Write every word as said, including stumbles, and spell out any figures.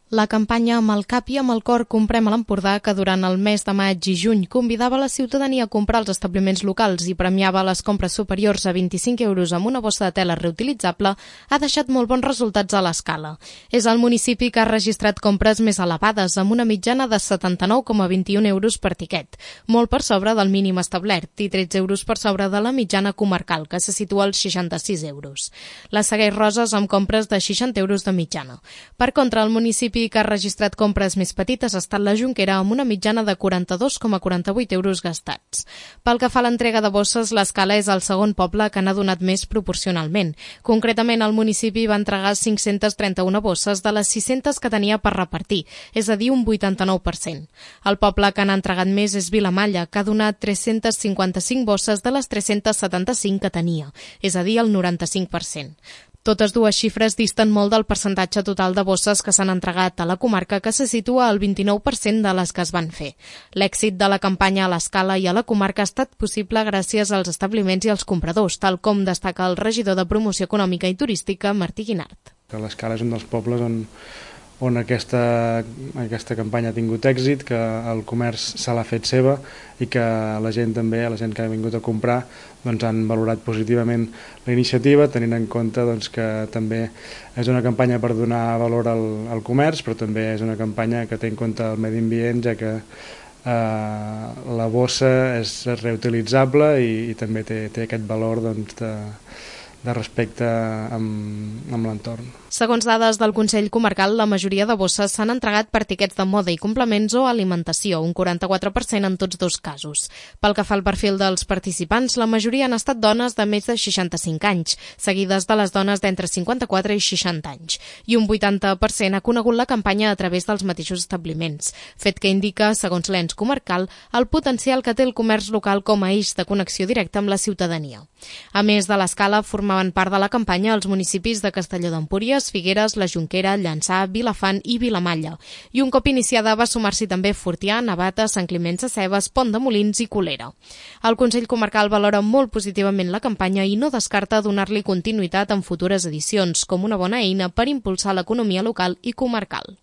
La campanya Amb el cap i amb el cor comprem a l'Empordà, que durant el mes de maig i juny convidava la ciutadania a comprar als establiments locals i premiava les compres superiors a vint-i-cinc euros amb una bossa de tela reutilitzable, ha deixat molt bons resultats a l'escala. És el municipi que ha registrat compres més elevades, amb una mitjana de setanta-nou coma vint-i-un euros per tiquet, molt per sobre del mínim establert i tretze euros per sobre de la mitjana comarcal, que se situa als seixanta-sis euros. La segueix Roses amb compres de seixanta euros de mitjana. Per contra, el municipi que ha registrat compres més petites ha estat la Jonquera, amb una mitjana de quaranta-dos coma quaranta-vuit euros gastats. Pel que fa a l'entrega de bosses, l'Escala és el segon poble que n'ha donat més proporcionalment. Concretament, el municipi va entregar cinc-centes trenta-una bosses de les sis-centes que tenia per repartir, és a dir, un vuitanta-nou per cent. El poble que n'ha entregat més és Vilamalla, que ha donat tres-centes cinquanta-cinc bosses de les tres-centes setanta-cinc que tenia, és a dir, el noranta-cinc per cent. Totes dues xifres disten molt del percentatge total de bosses que s'han entregat a la comarca, que se situa al vint-i-nou per cent de les que es van fer. L'èxit de la campanya a l'Escala i a la comarca ha estat possible gràcies als establiments i als compradors, tal com destaca el regidor de Promoció Econòmica i Turística, Martí Guinart. L'Escala és un dels pobles on on aquesta, aquesta campanya ha tingut èxit, que el comerç se l'ha fet seva i que la gent també, la gent que ha vingut a comprar, doncs han valorat positivament la iniciativa, tenint en compte doncs, que també és una campanya per donar valor al, al comerç, però també és una campanya que té en compte el medi ambient, ja que eh, la bossa és reutilitzable i, i també té, té aquest valor doncs, de, de respecte amb, amb l'entorn. Segons dades del Consell Comarcal, la majoria de bosses s'han entregat per tiquets de moda i complements o alimentació, un quaranta-quatre per cent en tots dos casos. Pel que fa al perfil dels participants, la majoria han estat dones de més de seixanta-cinc anys, seguides de les dones d'entre cinquanta-quatre i seixanta anys, i un vuitanta per cent ha conegut la campanya a través dels mateixos establiments, fet que indica, segons l'ens comarcal, el potencial que té el comerç local com a eix de connexió directa amb la ciutadania. A més de l'Escala, formaven part de la campanya els municipis de Castelló d'Empúries, Figueres, la Jonquera, Llançà, Vilafant i Vilamalla. I un cop iniciada va sumar-s'hi també Fortià, Navata, Sant Climent Sescebes, Pont de Molins i Colera. El Consell Comarcal valora molt positivament la campanya i no descarta donar-li continuïtat en futures edicions, com una bona eina per impulsar l'economia local i comarcal.